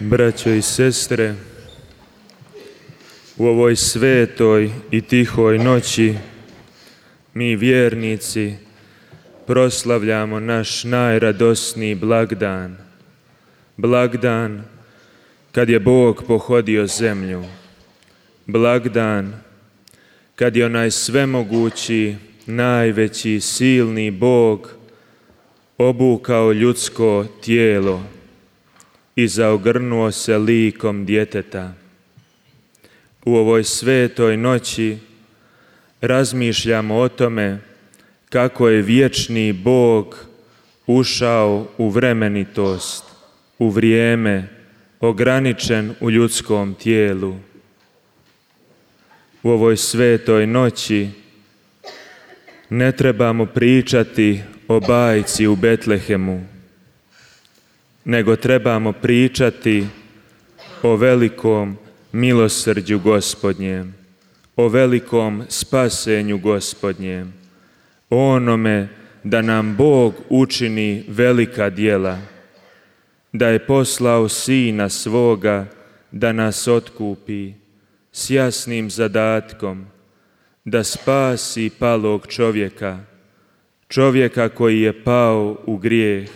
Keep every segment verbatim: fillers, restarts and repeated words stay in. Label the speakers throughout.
Speaker 1: Braćo i sestre, u ovoj svetoj i tihoj noći mi vjernici proslavljamo naš najradosniji blagdan, blagdan kad je Bog pohodio zemlju, blagdan kad je onaj svemogući, najveći, silni Bog obukao ljudsko tijelo i zaogrnuo se likom djeteta. U ovoj svetoj noći razmišljamo o tome kako je vječni Bog ušao u vremenitost, u vrijeme, ograničen u ljudskom tijelu. U ovoj svetoj noći ne trebamo pričati o bajci u Betlehemu, nego trebamo pričati o velikom milosrđu Gospodnjem, o velikom spasenju Gospodnjem, o onome da nam Bog učini velika djela, da je poslao Sina svoga da nas otkupi s jasnim zadatkom, da spasi palog čovjeka, čovjeka koji je pao u grijeh.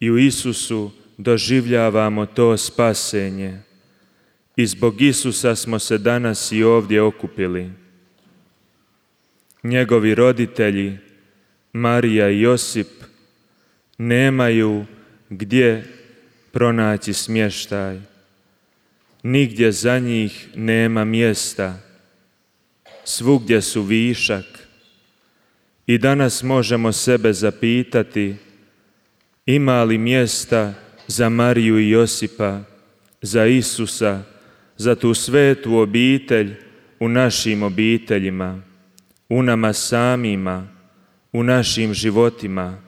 Speaker 1: I u Isusu doživljavamo to spasenje i zbog Isusa smo se danas i ovdje okupili. Njegovi roditelji, Marija i Josip, nemaju gdje pronaći smještaj. Nigdje za njih nema mjesta. Svugdje su višak. I danas možemo sebe zapitati, ima li mjesta za Mariju i Josipa, za Isusa, za tu svetu obitelj u našim obiteljima, u nama samima, u našim životima?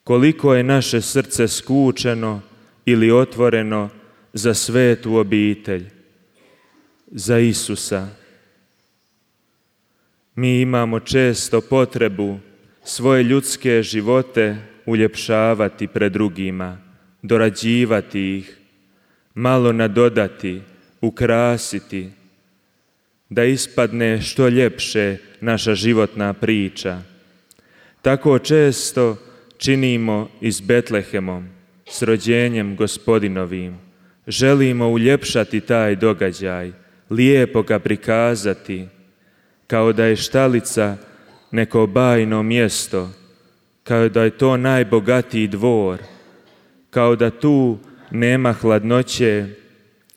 Speaker 1: Koliko je naše srce skučeno ili otvoreno za svetu obitelj, za Isusa? Mi imamo često potrebu svoje ljudske živote uljepšavati pred drugima, dorađivati ih, malo nadodati, ukrasiti, da ispadne što ljepše naša životna priča. Tako često činimo i s Betlehemom, s rođenjem Gospodinovim. Želimo uljepšati taj događaj, lijepo ga prikazati, kao da je štalica neko bajno mjesto, kao da je to najbogatiji dvor, kao da tu nema hladnoće,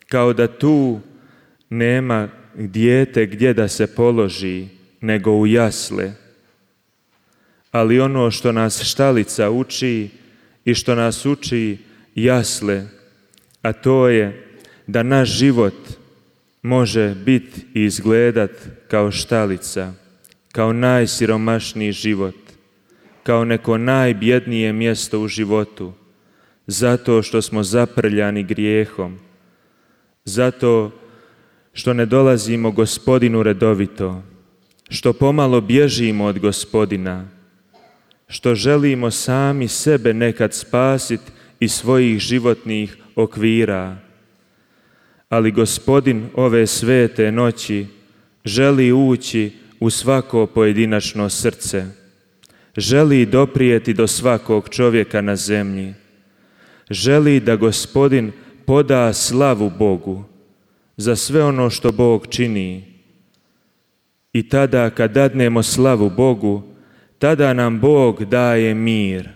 Speaker 1: kao da tu nema dijete gdje da se položi, nego u jasle. Ali ono što nas štalica uči i što nas uči jasle, a to je da naš život može biti i izgledat kao štalica, kao najsiromašniji život, kao neko najbjednije mjesto u životu, zato što smo zaprljani grijehom, zato što ne dolazimo Gospodinu redovito, što pomalo bježimo od Gospodina, što želimo sami sebe nekad spasiti iz svojih životnih okvira. Ali Gospodin ove svete noći želi ući u svako pojedinačno srce, želi doprijeti do svakog čovjeka na zemlji, želi da Gospodin poda slavu Bogu za sve ono što Bog čini. I tada kad dadnemo slavu Bogu, tada nam Bog daje mir,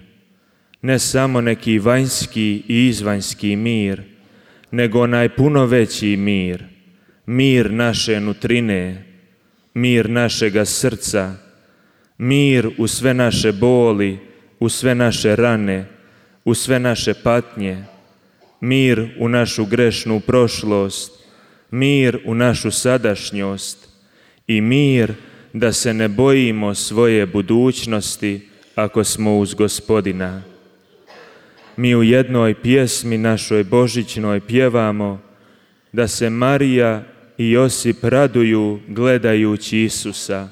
Speaker 1: ne samo neki vanjski i izvanjski mir, nego onaj puno veći mir, mir naše nutrine, mir našega srca, mir u sve naše boli, u sve naše rane, u sve naše patnje, mir u našu grešnu prošlost, mir u našu sadašnjost i mir da se ne bojimo svoje budućnosti ako smo uz Gospodina. Mi u jednoj pjesmi našoj božićnoj pjevamo da se Marija i Josip raduju gledajući Isusa.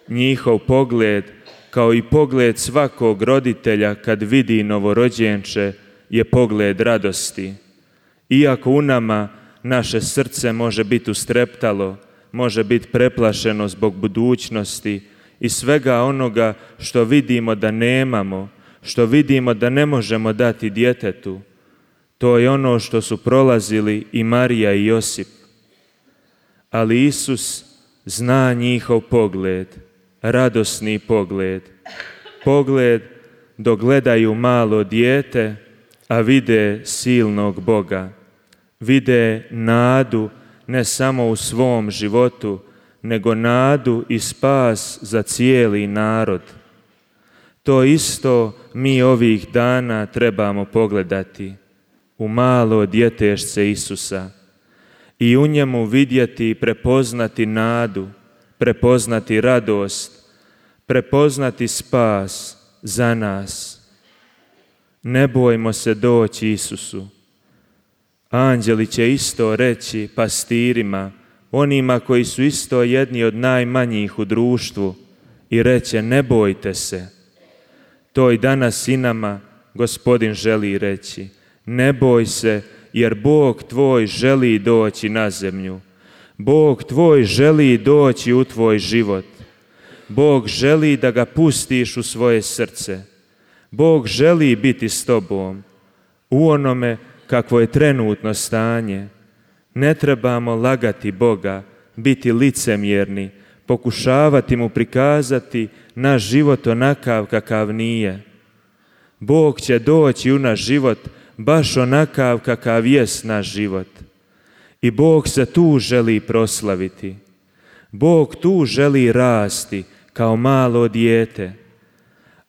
Speaker 1: Njihov pogled, kao i pogled svakog roditelja kad vidi novorođenče, je pogled radosti. Iako u nama naše srce može biti ustreptalo, može biti preplašeno zbog budućnosti i svega onoga što vidimo da nemamo, što vidimo da ne možemo dati djetetu, to je ono što su prolazili i Marija i Josip. Ali Isus zna njihov pogled, radosni pogled, pogled dok gledaju malo dijete, a vide silnog Boga, vide nadu ne samo u svom životu, nego nadu i spas za cijeli narod. To isto mi ovih dana trebamo pogledati u malo djetešce Isusa i u njemu vidjeti i prepoznati nadu, prepoznati radost, prepoznati spas za nas. Ne bojmo se doći Isusu. Anđeli će isto reći pastirima, onima koji su isto jedni od najmanjih u društvu, i reće ne bojte se. To i danas i nama Gospodin želi reći. Ne boj se, jer Bog tvoj želi doći na zemlju. Bog tvoj želi doći u tvoj život. Bog želi da ga pustiš u svoje srce. Bog želi biti s tobom u onome kakvo je trenutno stanje. Ne trebamo lagati Boga, biti licemjerni, pokušavati mu prikazati naš život onakav kakav nije. Bog će doći u naš život baš onakav kakav jest naš život. I Bog se tu želi proslaviti. Bog tu želi rasti kao malo dijete.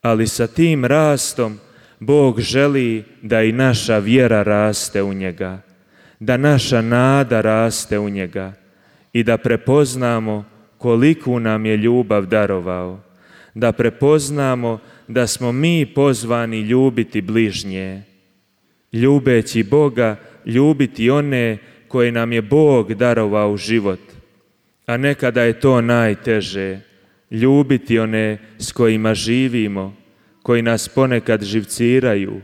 Speaker 1: Ali sa tim rastom Bog želi da i naša vjera raste u njega, da naša nada raste u njega i da prepoznamo koliku nam je ljubav darovao, da prepoznamo da smo mi pozvani ljubiti bližnje, ljubeći Boga, ljubiti one koje nam je Bog darovao u život, a nekada je to najteže, ljubiti one s kojima živimo, koji nas ponekad živciraju,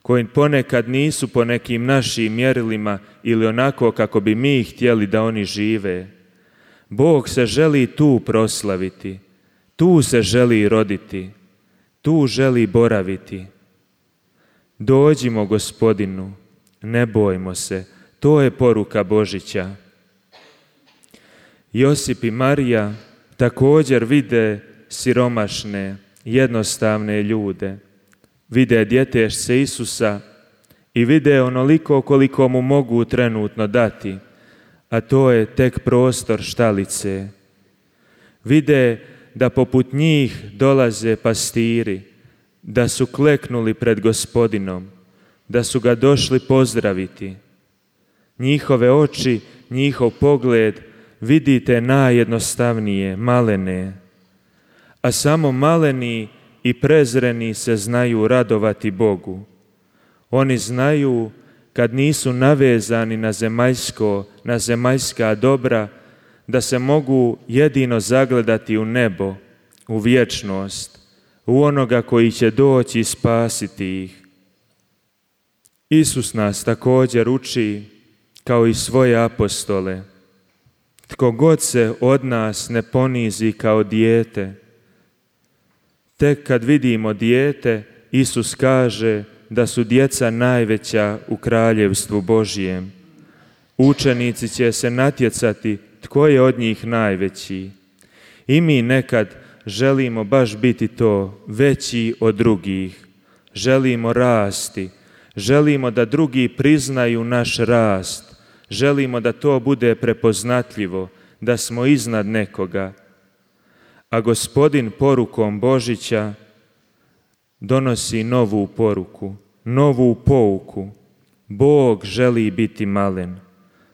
Speaker 1: koji ponekad nisu po nekim našim mjerilima ili onako kako bi mi htjeli da oni žive. Bog se želi tu proslaviti, tu se želi roditi, tu želi boraviti. Dođimo Gospodinu, ne bojmo se, to je poruka Božića. Josip i Marija također vide siromašne, jednostavne ljude. Vide djetešce Isusa i vide onoliko koliko mu mogu trenutno dati, a to je tek prostor štalice. Vide da poput njih dolaze pastiri, da su kleknuli pred Gospodinom, da su ga došli pozdraviti. Njihove oči, njihov pogled vidite najjednostavnije, malene, a samo maleni i prezreni se znaju radovati Bogu. Oni znaju kad nisu navezani na zemaljsko, na zemaljska dobra, da se mogu jedino zagledati u nebo, u vječnost, u onoga koji će doći i spasiti ih. Isus nas također uči, kao i svoje apostole, tko god se od nas ne ponizi kao dijete. Tek kad vidimo dijete, Isus kaže da su djeca najveća u kraljevstvu Božjem. Učenici će se natjecati tko je od njih najveći. I mi nekad želimo baš biti to, veći od drugih. Želimo rasti, želimo da drugi priznaju naš rast, želimo da to bude prepoznatljivo, da smo iznad nekoga. A Gospodin porukom Božića donosi novu poruku, novu pouku. Bog želi biti malen.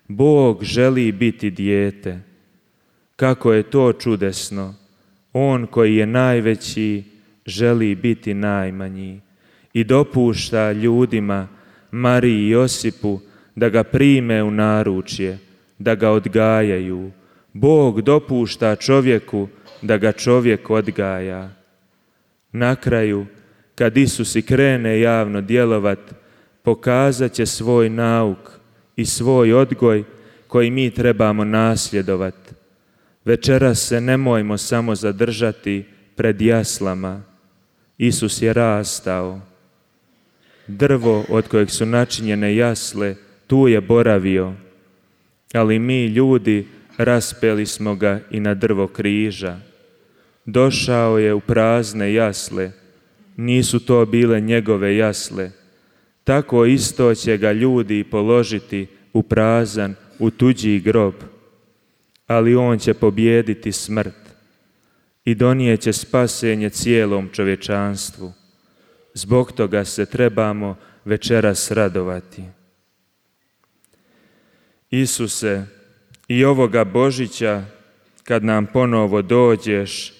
Speaker 1: Bog želi biti dijete. Kako je to čudesno! On koji je najveći želi biti najmanji i dopušta ljudima, Mariji i Josipu, da ga prime u naručje, da ga odgajaju. Bog dopušta čovjeku da ga čovjek odgaja. Na kraju, kad Isus i krene javno djelovat, pokazat će svoj nauk i svoj odgoj koji mi trebamo nasljedovati. Večeras se nemojmo samo zadržati pred jaslama. Isus je rastao. Drvo od kojeg su načinjene jasle, tu je boravio, ali mi ljudi raspeli smo ga i na drvo križa. Došao je u prazne jasle, nisu to bile njegove jasle. Tako isto će ga ljudi položiti u prazan, u tuđi grob, ali on će pobijediti smrt i donijeće spasenje cijelom čovječanstvu. Zbog toga se trebamo večeras radovati. Isuse, i ovoga Božića, kad nam ponovo dođeš,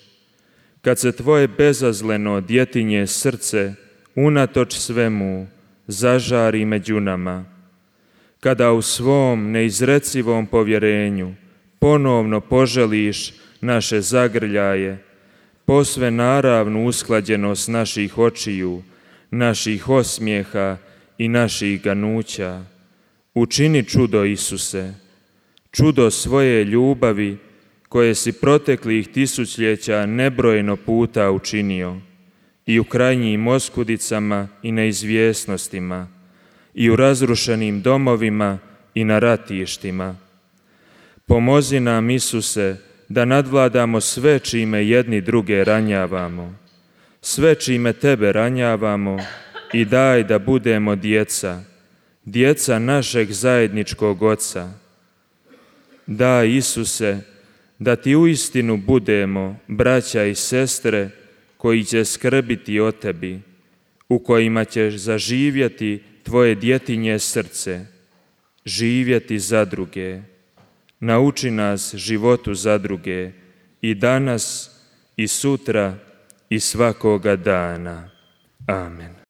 Speaker 1: kad se tvoje bezazleno djetinje srce unatoč svemu zažari među nama, kada u svom neizrecivom povjerenju ponovno poželiš naše zagrljaje, posve naravnu usklađenost naših očiju, naših osmijeha i naših ganuća, učini čudo, Isuse, čudo svoje ljubavi koje si proteklih tisućljeća nebrojeno puta učinio i u krajnjim oskudicama i neizvjesnostima, i u razrušenim domovima i na ratištima. Pomozi nam, Isuse, da nadvladamo sve čime jedni druge ranjavamo, sve čime Tebe ranjavamo, i daj da budemo djeca, djeca našeg zajedničkog Oca. Daj, Isuse, da Ti uistinu budemo braća i sestre koji će skrbiti o Tebi, u kojima ćeš zaživjeti Tvoje djetinje srce, živjeti za druge. Nauči nas životu za druge i danas i sutra i svakoga dana. Amen.